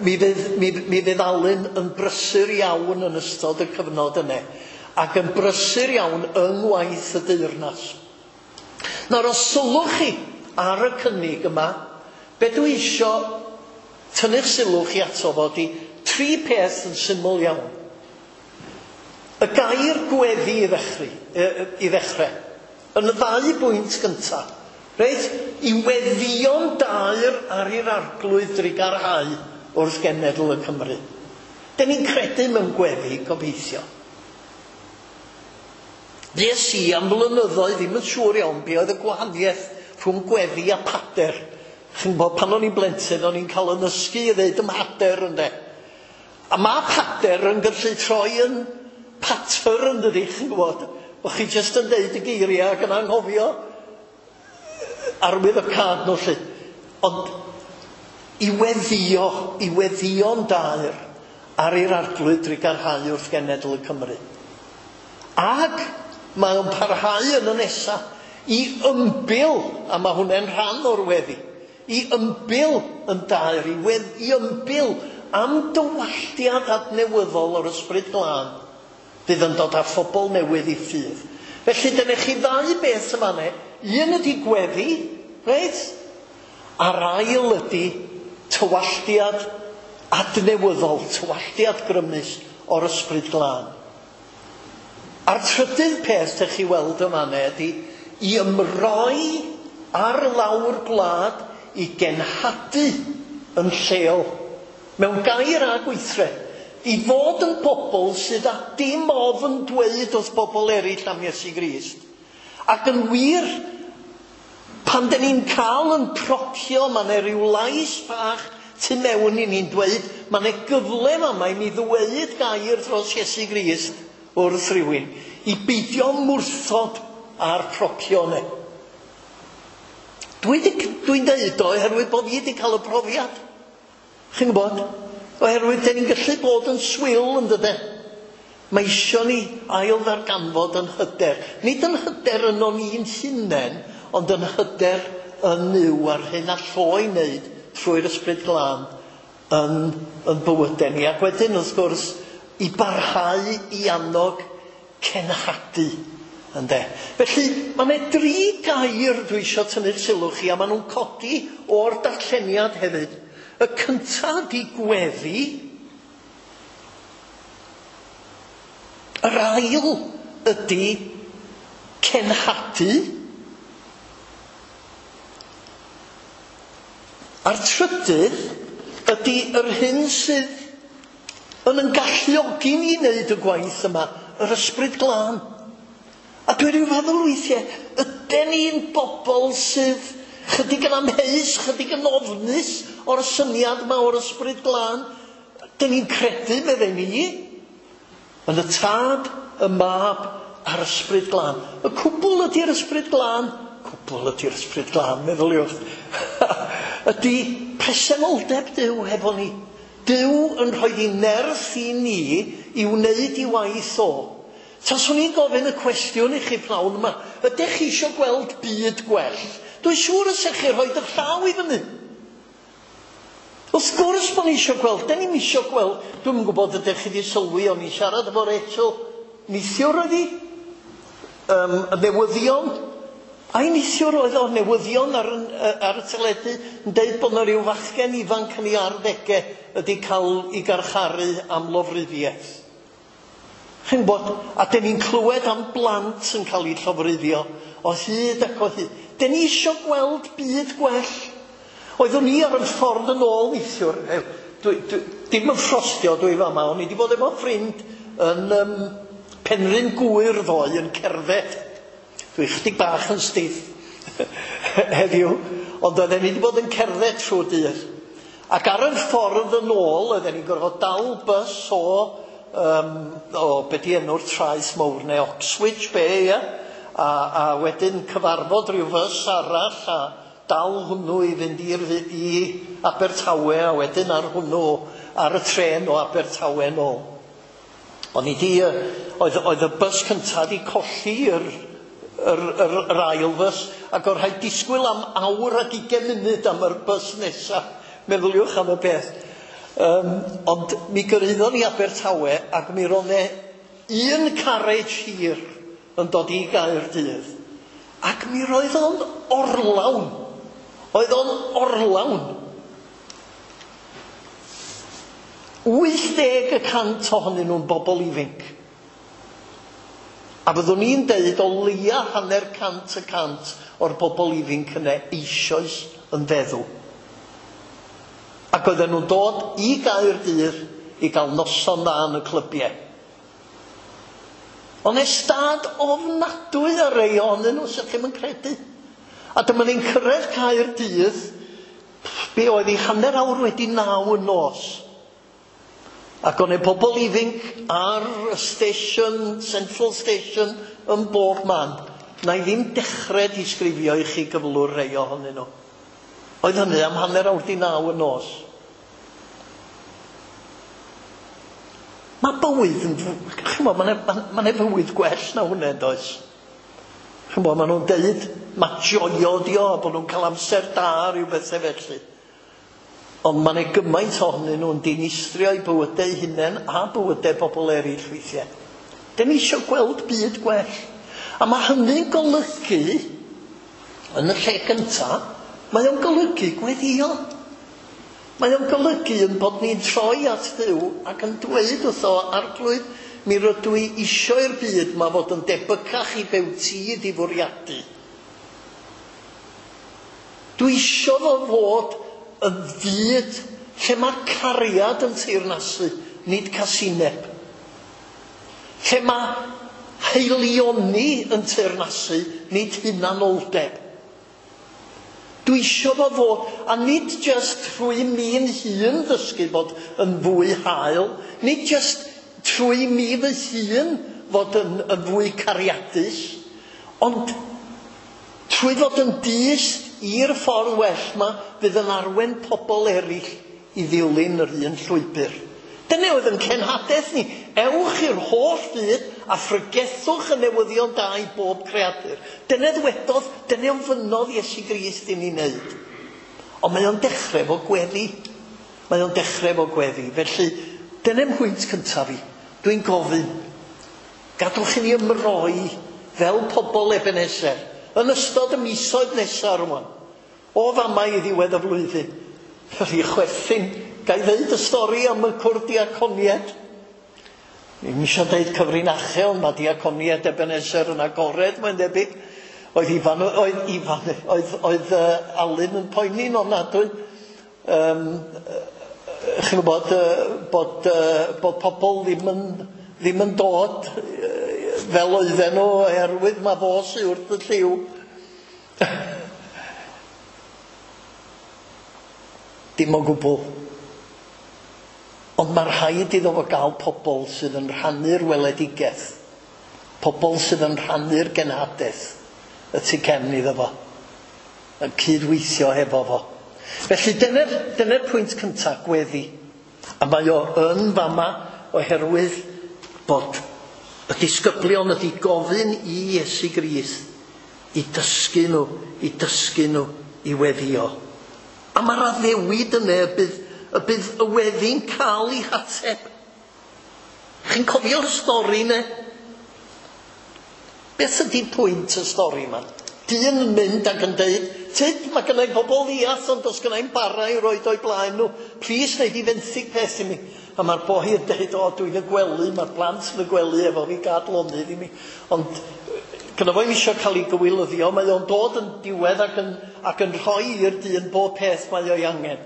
mi fydd, mi, mi fydd Alun yn brysur iawn yn ystod y cyfnod yna, ac yn brysur iawn yng ngwaith y deyrnas. Nawr, os sylwch chi ar y cynnig yma, be dwi isio tynnu'ch sylw chi ato fo ydi tri peth yn syml iawn. Y gair gweddi i ddechrau, i ddechrau, yn y ddau bwynt gyntaf. Reit, i weddïo'n daer ar i'r Arglwydd drugarhau wrth genedl y Cymru. Dyn ni'n credu mewn gweddi, gobeithio. Fues i am flynyddoedd ddim yn siŵr iawn be oedd y gwahaniaeth rhwng gweddi a pader. Chi'n gwybod, pan o'n i'n blentyn, o'n i'n cael yn ysgu i ddeud ym mhader, ynde. A mae pader yn gallu troi yn pater, yn dydi, chi'n gwybod. Bo chi jyst yn deud y geiriau ac yn anghofio arwydd y cad nhw, lly. Ond i weddio, i weddïo'n daer ar i'r Arglwydd drugarhau wrth genedl y Cymru. Ac mae o'n parhau yn y nesa i ymbil, a mae hwnna'n rhan o'r weddi, i ymbil yn daer, i, wedd, i ymbil am dywalltiad adnewyddol o'r Ysbryd Glân fydd yn dod â phobl newydd i ffydd. Felly dyna chi ddau beth yma ne. Un ydy gweddi, reit? A'r ail ydy tywalltiad adnewyddol, tywalltiad grymus o'r Ysbryd Glân. A'r trydydd peth ydych chi weld yma ne ydy i ymroi ar lawr gwlad i genhadu yn lleol, mewn gair a gweithred, i fod yn bobl sydd â dim ofn dweud wrth bobl eraill am Iesu Grist. Ac yn wir, pan dyn ni'n cael yn procio, mae yna ryw lais bach tu mewn i ni'n dweud, mae yna gyfle yma i mi ddweud gair dros Iesu Grist wrth rhywun, i beidio mwrthod â'r procio yna. Dwi'n dwi dweud o oherwydd bod fi wedi cael y profiad. Chi'n gwybod? Oherwydd dyn ni'n gallu bod yn swil, yn dydyn. Mae isio ni ail ddarganfod yn hyder. Nid yn hyder yno ni'n hunain, ond yn hyder yn Nuw a'r hyn all o i wneud trwy'r Ysbryd Glân yn, yn bywydau ni. Ac wedyn, wrth gwrs, i barhau i annog cenhadu. Ynde? Felly, mae yna dri gair dwi eisiau tynnu'r sylw chi, a maen nhw'n codi o'r darlleniad hefyd. Y cyntaf ydy gweddi. Yr ail ydy cenhadu. A'r trydydd ydy yr hyn sydd yn yn galluogi ni i wneud y gwaith yma, yr Ysbryd Glân. A dwi'n rhyw feddwl weithiau, ydyn ni'n bobl sydd chydig yn amheus, chydig yn ofnus o'r syniad yma o'r Ysbryd Glân. Dyn ni'n credu, meddai ni, yn y Tad, y Mab a'r Ysbryd Glân. Y cwbl ydy'r Ysbryd Glân, cwbl ydy'r Ysbryd Glân, meddyliwch, ydy presenoldeb Duw hefo ni. Duw yn rhoi ei nerth i ni i wneud i waith o. Taswn i'n gofyn y cwestiwn i chi pnawn yma, ydych chi eisiau gweld byd gwell? Dwi'n siŵr os ydych chi rhoi eich llaw i fyny. Wrth gwrs bod ni eisiau gweld, dyn ni'n eisiau gweld. Dwi'm yn gwybod ydych chi wedi sylwi, o'n i'n siarad efo Rachel neithiwr oedd hi, um, y newyddion. Ai neithiwr oedd o, newyddion ar, ar y teledu yn deud bod yna rhyw fachgen ifanc yn ei arddegau wedi cael ei garcharu am lofruddiaeth. Chi'n gwybod, a dyn ni'n clywed am blant yn cael eu llofruddio o hyd ac o hyd. Dyn ni eisiau gweld byd gwell. Oeddwn i ar y ffordd yn ôl neithiwr. Dwi, dwi, dim yn ffrostio dwi fama, o'n i wedi bod efo ffrind yn um, Penrhyn Gŵyr ddoe yn cerdded. Dwi chydig bach yn stiff heddiw, ond oedden ni wedi bod yn cerdded trwy dydd. Ac ar y ffordd yn ôl, oedden ni'n gorfod dal bys o, um, o be di enw'r traeth mawr neu Oxwich Bay, ia? a, a wedyn cyfarfod rhyw fys arall a dal hwnnw i fynd i'r, i Abertawe a wedyn ar hwnnw ar y trên o Abertawe nôl. O'n i di, oedd, oedd y bys cyntaf di colli yr, yr, yr, yr ail fys, ac oedd rhaid disgwyl am awr ac ugain munud am yr bys nesaf. Meddyliwch am y peth. Um, ond mi gyrhaeddon ni Abertawe ac mi roedd 'na un carriage hir yn dod i Gaerdydd. Ac mi roedd o'n orlawn. Oedd o'n orlawn. wyth deg y cant ohonyn nhw'n bobl ifanc. A fyddwn ni'n deud o leia hanner cant y cant o'r bobl ifanc yna eisoes yn feddw. Ac oedden nhw'n dod i Gaerdydd i gael noson dda yn y clybiau. Ond stad ofnadwy ar rei ohonyn nhw, sy'ch chi'm yn credu. A dyma ni'n cyrraedd Caerdydd, be oedd hi hanner awr wedi naw y nos. Ac o'n e pobl ifanc ar y station, Central Station, yn bob man. Na i ddim dechrau disgrifio i chi gyflwr rei ohonyn nhw. Oedd hynny am hanner awr di naw y nos. Mae bywyd yn... Ch'mod, mae'n ma, ma fywyd gwell na hwnna, does? Ch'mod, maen nhw'n deud, mae joio di o, bod nhw'n cael amser da, rhyw bethau felly. Ond mae'n ei gymaint ohonyn nhw'n dinistrio eu bywydau eu hunain a bywydau bobl eraill weithiau. Dyn ni eisiau gweld byd gwell. A mae hynny'n golygu, yn y lle gyntaf, mae o'n golygu gweddio. Mae o'n golygu yn bod ni'n troi at Dduw ac yn dweud wrtho, Arglwydd, mi rydw i isio i'r byd ma fod yn debycach i be wyt ti 'di fwriadu. Dwi isio fo fod yn fyd lle mae cariad yn teyrnasu, nid casineb. Lle mae haelioni yn teyrnasu, nid hunanoldeb. Dwi isio fo fod, a nid just trwy mi'n hun ddysgu bod yn fwy hael, nid just trwy mi fy hun fod yn, yn fwy cariadus, ond trwy fod yn dyst i'r ffordd well ma fydd yn arwain pobl eraill i ddilyn yr un llwybr. Dyna oedd yn cenhadaeth ni. Ewch i'r holl fyd a phregethwch y newyddion da i bob creadur. Dyna ddwedodd, dyna ofynnodd Iesu Grist i ni wneud. Ond mae o'n dechrau efo gweddi. Mae o'n dechrau efo gweddi. Felly, dyna mhwynt cyntaf fi. Dwi'n gofyn, gadwch i ni ymroi fel pobl Ebenezer yn ystod y misoedd nesaf rwan. O fama i ddiwedd y flwyddyn. Felly chwerthin, ga i ddeud y stori am y cwrdd diaconiaid. Ddim eisiau deud cyfrinachau, ond mae diaconiaid Ebenezer yn agored, mae'n debyg. Oedd Ifan, oedd Ifan, oedd, oedd uh, Alun yn poeni'n ofnadwy. Um, chi'n gwybod uh, bod, uh, bod pobl ddim yn, ddim yn dod fel oedden nhw, oherwydd mae fo sy wrth y llyw. Dim o gwbl. Ond mae rhaid iddo fo gael pobl sydd yn rhannu'r weledigaeth, pobl sydd yn rhannu'r genhadaeth y tu cefn iddo fo, yn cydweithio hefo fo. Felly dyna'r, dyna'r pwynt cyntaf, gweddi. A mae o yn fama oherwydd bod y disgyblion ydi gofyn i Iesu Grist i dysgu nhw, i dysgu nhw i weddio. A mae'r addewid yna y bydd, y bydd y weddi'n cael ei hateb. Chi'n cofio'r stori yna? Beth ydy pwynt y stori yma? Dyn yn mynd ac yn deud, tyd, mae gynna i bobl ddiarth, ond does gynna i'm bara i roed o'i blaen nhw. Plis, wnei di fenthyg peth i mi. A mae'r boi yn deud, o, dwi'n y gwely, mae'r plant yn y gwely efo fi, gad lonydd i mi. Ond gyda fo i'm eisiau cael ei gywilyddio, mae o'n dod yn diwedd ac yn, ac yn rhoi i'r dyn bob peth mae o'i angen.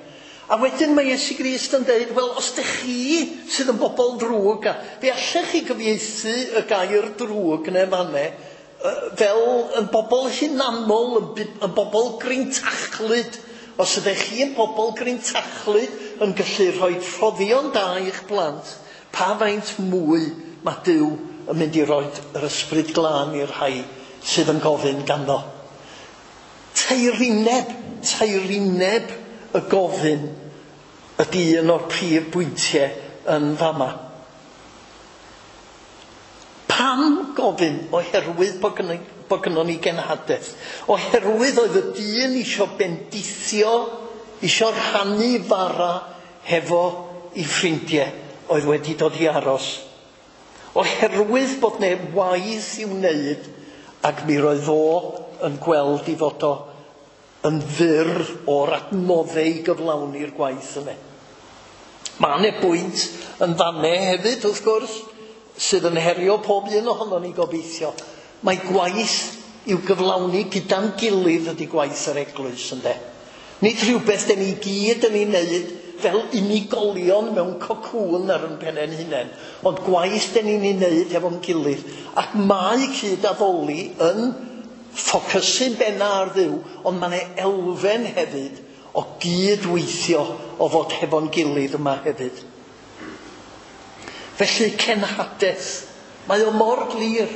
A wedyn mae Iesu Grist yn deud, wel, os dych chi sydd yn bobl drwg, a fe allech chi gyfieithu y gair drwg neu fanne, fel yn bobl hunanol, yn, yn bobl grintachlyd. Os ydych chi yn bobl grintachlyd yn gallu rhoi rhoddion da i'ch plant, pa faint mwy mae Duw yn mynd i roi yr ysbryd glân i'r rhai sydd yn gofyn ganddo. Teirineb, teirineb y gofyn ydy un o'r prif bwyntiau yn fama. Pam gofyn? Oherwydd bod gynnon, bod gynnon ni genhadaeth. Oherwydd oedd y dyn isio bendithio, isio rhannu fara hefo i ffrindiau oedd wedi dod i aros. Oherwydd bod 'na waith i'w wneud, ac mi roedd o yn gweld i fod o yn fyr o'r adnoddau i gyflawni'r gwaith yna. Mae yna bwynt yn fanne hefyd, wrth gwrs, sydd yn herio pob un ohonon ni gobeithio. Mae gwaith i'w gyflawni gyda'n gilydd ydy gwaith yr eglwys, ynde. Nid rhywbeth den ni gyd yn ei wneud fel unigolion mewn cocŵn ar yn pennau'n hunain, ond gwaith den ni'n ei wneud efo'n gilydd. Ac mae cyd-addoli yn ffocysu'n benna ar Dduw, ond mae yna elfen hefyd o gydweithio o fod hefo'n gilydd yma hefyd. Felly cenhadaeth, mae o mor glir.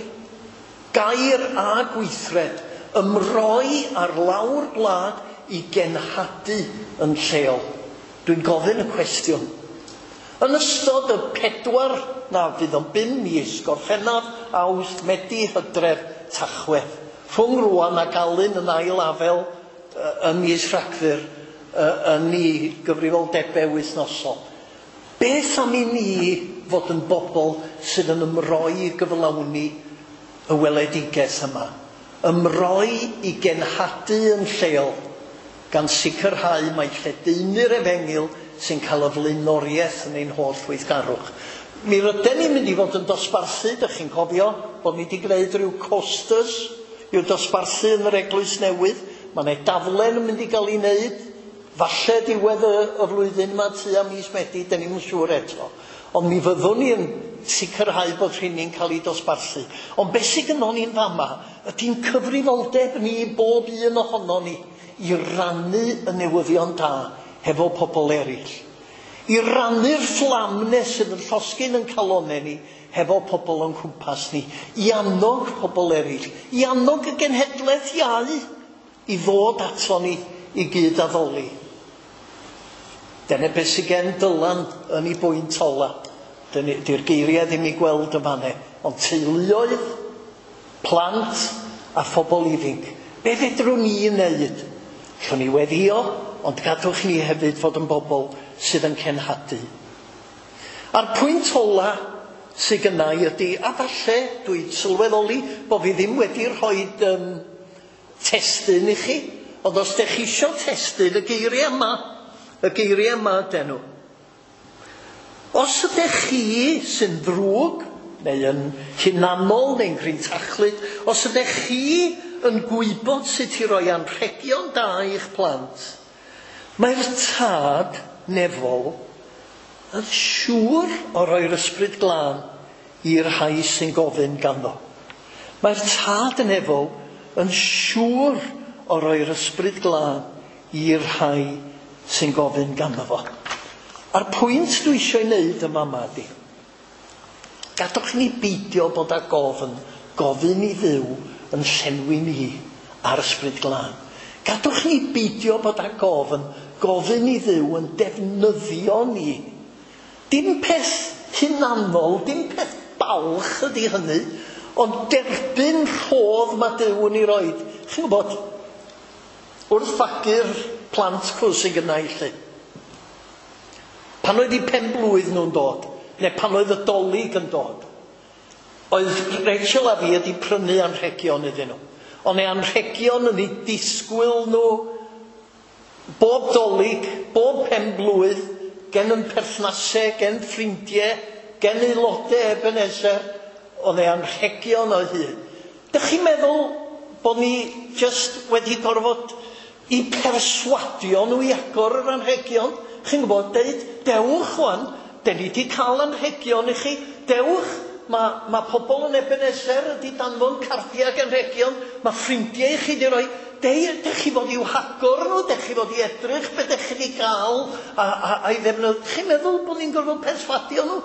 Gair a gweithred, ymroi ar lawr gwlad i genhadu yn lleol. Dwi'n gofyn y cwestiwn. Yn ystod y pedwar, na fydd o'n bum mis, Gorffennaf, Awst, Medi, Hydref, Tachwedd, rhwng rwan ac Alun yn ail afel ym mis Rhagfyr yn ei gyfrifoldebau wythnosol. Beth am i ni fod yn bobl sydd yn ymroi i gyflawni y weledigaeth yma? Ymroi i genhadu yn lleol, gan sicrhau mai lledaenu'r efengyl sy'n cael y flaenoriaeth yn ein holl weithgarwch. Mi rydyn ni'n mynd i fod yn dosbarthu, dych chi'n cofio, bod ni wedi gwneud rhyw coasters i'w dosbarthu yn yr eglwys newydd. Mae yna daflen yn mynd i gael ei wneud, falle diwedd y, y flwyddyn yma tua mis Medi, dyn ni'm yn siŵr eto. Ond mi fyddwn ni yn sicrhau bod rheini'n cael ei dosbarthu. Ond beth sydd gynnon ni'n fama ydy'n cyfrifoldeb ni, bob un ohonon ni, i rannu y newyddion da hefo pobl eraill. I rannu'r fflam 'ne sydd yn llosgi'n yn calonnau ni hefo pobl o'n cwmpas ni. I annog pobl eraill. I annog y genhedlaeth iau i ddod ato ni i gyd addoli. Dyna beth sydd gen Dylan yn ei bwynt ola. Dydy'r geiriau ddim i gweld yn fanne, ond teuluoedd, plant a phobl ifanc. Be fedrwn ni wneud? Allwn ni weddio, ond gadwch ni hefyd fod yn bobl sydd yn cenhadu. A'r pwynt ola sydd gynna i ydy, a falle dwi'n sylweddoli bod fi ddim wedi rhoi um, testun i chi, ond os dech chi isio testun, y geiriau yma, y geiriau yma ydyn nhw. Os ydych chi sy'n ddrwg, neu yn hunanol, neu'n grintachlyd, os ydych chi yn gwybod sut i roi anrhegion da i'ch plant, mae'r tad nefol yn siŵr o roi'r ysbryd glân i'r rhai sy'n gofyn ganddo. Mae'r tad nefol yn siŵr o roi'r ysbryd glân i'r rhai sy'n gofyn ganddo fo. A'r pwynt dwi eisiau ei wneud yma yma ydy, gadwch ni beidio bod â gofyn, gofyn i Dduw yn llenwi ni ar ysbryd glân. Gadwch ni beidio bod â gofyn, gofyn i Dduw yn defnyddio ni. Dim peth hunanol, dim peth balch ydy hynny, ond derbyn rhodd mae Duw yn ei roed. Chi'n gwybod, wrth fagu'r plant cws sydd gynna i lly, pan oedd eu pen blwydd nhw'n dod, neu pan oedd y Dolig yn dod, oedd Rachel a fi wedi prynu anrhegion iddyn nhw. Ond eu anrhegion yn eu disgwyl nhw bob Dolig, bob pen blwydd, gen yn perthnasau, gen ffrindiau, gen aelodau Ebenezer, oedd eu anrhegion o hyd. Dych chi'n meddwl bod ni just wedi gorfod i perswadio nhw i agor yr anrhegion? Chi'n gwybod, deud, dewch wan, den ni wedi cael anrhegion i chi, dewch, mae ma pobl yn Ebenezer wedi danfon cardiau ac anrhegion, mae ffrindiau i chi wedi rhoi, dech chi fod i'w hagor nhw, dech chi fod i edrych be dech chi wedi gael a, a, a'i ddefnyddio. Chi'n meddwl bod ni'n gorfod perswadio nhw?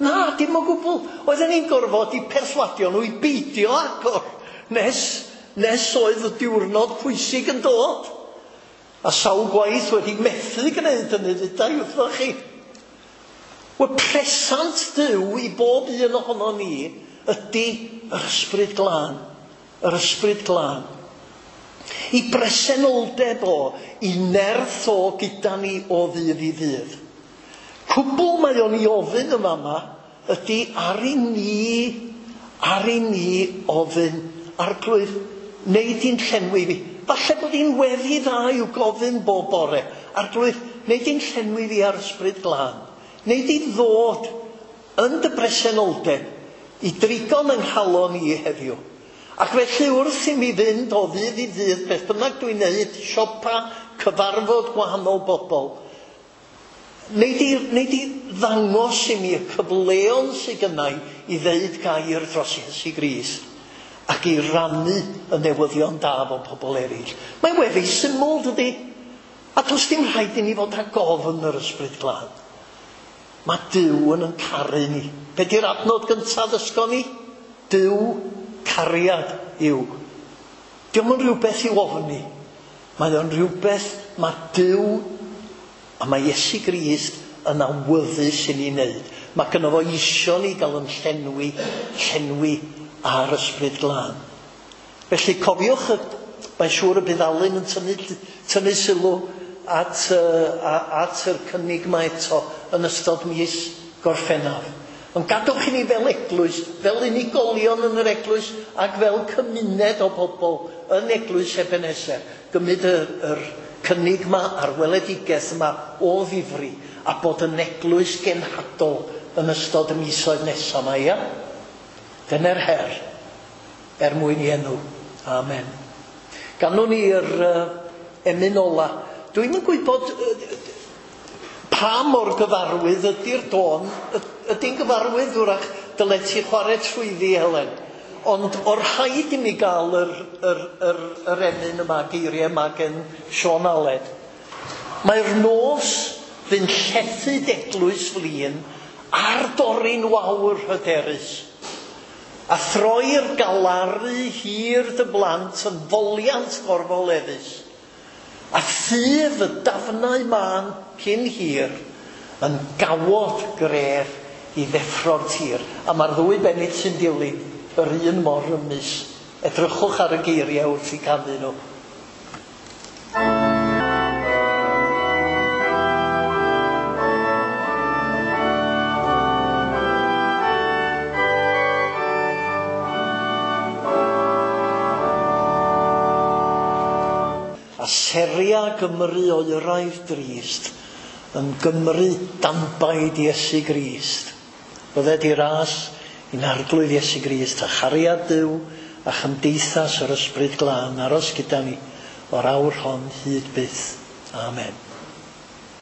Na, dim o gwbl. Oedden ni'n gorfod i perswadio nhw i beidio agor nes nes oedd y diwrnod pwysig yn dod. A sawl gwaith wedi methu gwneud hynny, ddudai wrthoch chi. Wel, presant Duw i bob un ohono ni ydy yr Ysbryd Glân. Yr Ysbryd Glân. I bresenoldeb o, i nerth o gyda ni o ddydd i ddydd. Cwbl mae o'n i ofyn yma yma ydy ar i ni, ar i ni ofyn, Arglwydd, neu di'n llenwi fi. Falle bod hi'n weddi dda i'w gofyn bob bore. Arglwydd, neu di'n llenwi fi ar Ysbryd Glân. Neu di ddod yn dy bresenoldeb i drigo'n yng nghalon i heddiw. Ac felly wrth i mi fynd o ddydd i ddydd, beth bynnag dwi'n neud, siopa, cyfarfod gwahanol bobl, neu di, neu di ddangos i mi y cyfleon sydd gynna i ddeud gair dros Iesu Grist ac i rannu y newyddion da efo pobl eraill. Mae'n weddi syml, dydy? A does dim rhaid i ni fod ag ofn yr Ysbryd Glân. Mae Duw yn yn caru ni. Be di'r adnod gyntaf ddysgon ni? Duw cariad yw. Dio'm yn rhywbeth i'w ofni. Mae o'n rhywbeth mae Duw a mae Iesu Grist yn awyddus i ni wneud. Mae gynno fo isio ni gael yn llenwi, llenwi ar Ysbryd Glân. Felly cofiwch, mae'n siŵr y bydd Alun yn tynnu, tynnu sylw at, uh, at yr cynnig yma eto yn ystod mis Gorffennaf. Ond gadwch i ni fel eglwys, fel unigolion yn yr eglwys ac fel cymuned o bobl yn eglwys Ebenezer, gymryd yr, yr cynnig yma a'r weledigaeth yma o ddifri a bod yn eglwys genhadol yn ystod y misoedd nesaf yma, ia? Dyna'r her, er mwyn i enw. Amen. Ganwn ni yr uh, emyn ola. Dwi'm yn gwybod uh, pa mor gyfarwydd ydy'r dôn. Ydy'n gyfarwydd wrach dyle ti chwarae trwyddi, Helen. Ond o'r rhaid i mi gael yr, yr, yr, yr emyn yma, geiriau yma gen Siôn Aled. Mae'r nos fy'n llethu d'eglwys flin ar dorri'n wawr hyderus. A throi'r galaru hir dy blant yn foliant gorfoleddus. A thyf y dafnau mân cyn hir yn gawod gref i ddeffro'r tir. A mae'r ddwy bennill sy'n dilyn yr un mor rymus. Edrychwch ar y geiriau wrth i canu nhw. A seria Gymru oeraidd drist yn Gymru danbaid Iesu Grist. Bydded i ras i'n Arglwydd Iesu Grist a chariad Duw a chymdeithas yr Ysbryd Glân aros gyda ni o'r awr hon hyd byth. Amen.